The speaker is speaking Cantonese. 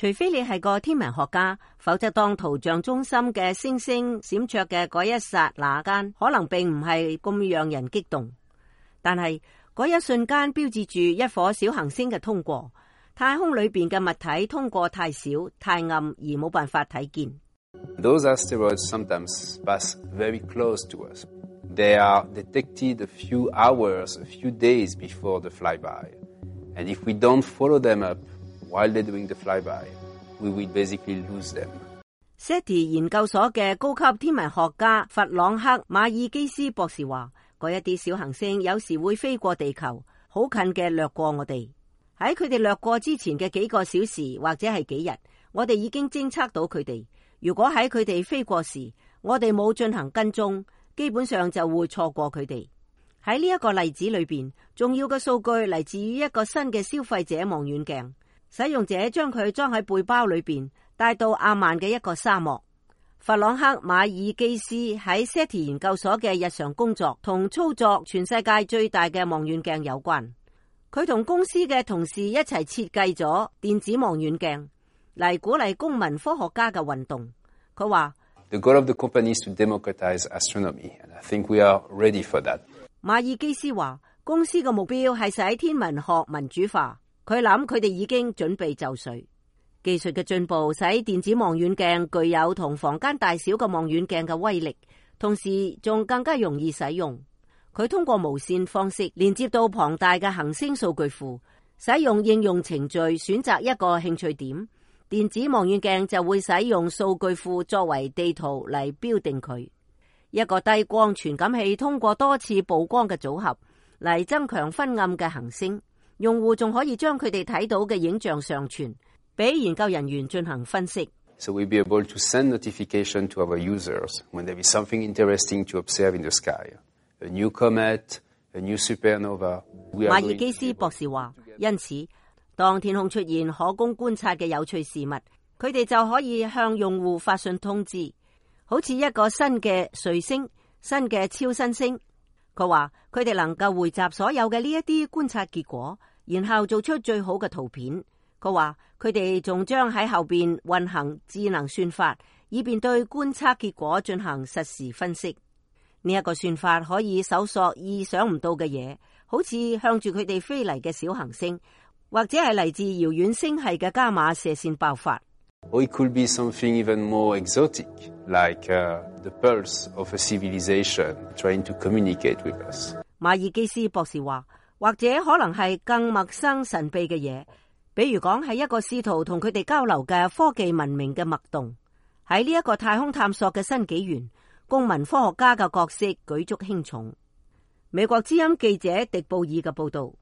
除非你係個天文學家，否則當圖像中心嘅星星閃爍嘅嗰一剎那間，可能並唔係咁讓人激動。但係嗰一瞬間標誌住一顆小行星嘅通過，太空裏邊嘅物體通過太小、太暗而冇辦法睇見。Those asteroids sometimes pass very close to us. They are detected a few hours, a few days before the flyby. And if we don't follow them up while they're doing the flyby, we will basically lose them. SETI 研究所嘅高級天文學家弗朗克·馬爾基斯博士話，嗰一啲小行星有時會飛過地球，好近嘅掠過我哋。喺佢哋掠過之前嘅幾個小時或者係幾日，我哋已經偵測到佢哋。如果喺佢哋飛過時，我哋冇進行跟蹤，基本上就會錯過佢哋。喺呢一個例子裏邊，重要嘅數據嚟自於一個新嘅消費者望遠鏡，使用者將佢裝喺背包裏邊，帶到阿曼嘅一個沙漠。弗朗克·馬爾基斯喺 SETI 研究所嘅日常工作同操作全世界最大嘅望遠鏡有關。佢同公司嘅同事一齊設計咗電子望遠鏡嚟鼓勵公民科學家嘅運動。佢話：The goal of the company is to democratize astronomy, and I think we are ready for that. 馬爾基斯話，公司嘅目標係使天文學民主化。佢諗佢哋已經準備就緒。技術嘅進步使電子望遠鏡具有同房間大小嘅望遠鏡嘅威力，同時仲更加容易使用。佢通過無線方式連接到龐大嘅行星數據庫，使用應用程序選擇一個興趣點，電子望遠鏡就會使用數據庫作為地圖嚟標定佢。一個低光傳感器通過多次曝光嘅組合嚟增強昏暗嘅行星，用戶仲可以將佢哋睇到嘅影像上傳，俾研究人員進行分析。So we'll be able to send notification to our users when there is something interesting to observe in the sky. A new comet, a new supernova. 馬爾基斯博士話，因此當天空出現可供觀察嘅有趣事物，佢哋就可以向用戶發信通知，好似一個新嘅彗星、新嘅超新星。佢話佢哋能夠匯集所有嘅呢一啲觀察結果，然後做出最好嘅圖片。佢話佢哋仲將喺後邊運行智能算法，以便對觀測結果進行實時分析。呢一個算法可以搜索意想唔到嘅嘢，好似向住佢哋飛嚟嘅小行星，或者係嚟自遙遠星系嘅伽馬射線爆發。Or it could be something even more exotic, like the pulse of a civilization trying to communicate with us. 馬爾基斯博士話，或者可能係更陌生神秘嘅嘢，比如講係一個試圖同佢哋交流嘅科技文明嘅脈動。喺呢一個太空探索嘅新紀元，公民科學家嘅角色舉足輕重。美國之音記者迪布爾嘅報道。